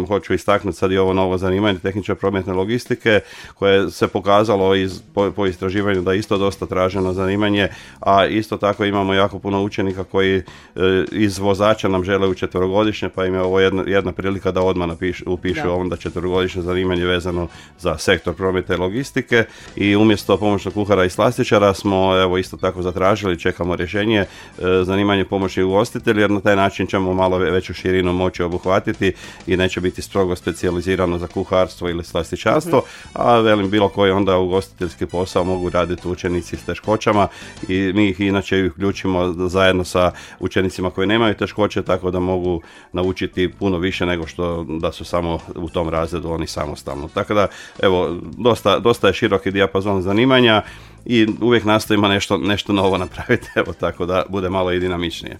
Hoću istaknuti sad i ovo novo zanimanje tehničke prometne logistike koje se pokazalo po istraživanju da je isto dosta traženo zanimanje, a isto tako imamo jako puno učenika koji iz vozača nam žele u četverogodišnje, pa im je ovo jedna prilika da odmah upišu onda četverogodišnje zanimanje vezano za sektor prometa i logistike. I umjesto pomoćnog kuhara i slastičara smo evo isto tako zatražili, čekamo rješenje, zanimanje pomoćni ugostitelj, jer na taj način ćemo malo veću širinu moći obuhvatiti i neće biti strogo specijalizirano za kuharstvo ili slastičarstvo, a velim bilo koji onda ugostiteljski posao mogu raditi učenici s teškoćama i mi ih inače uključimo zajedno sa učenicima koji nemaju teškoće, tako da mogu naučiti puno više nego što da su samo u tom razredu oni samostalno. Tako da evo dosta je široki dijapazon zanimanja i uvijek nastojimo nešto novo napraviti, evo tako da bude malo i dinamičnije.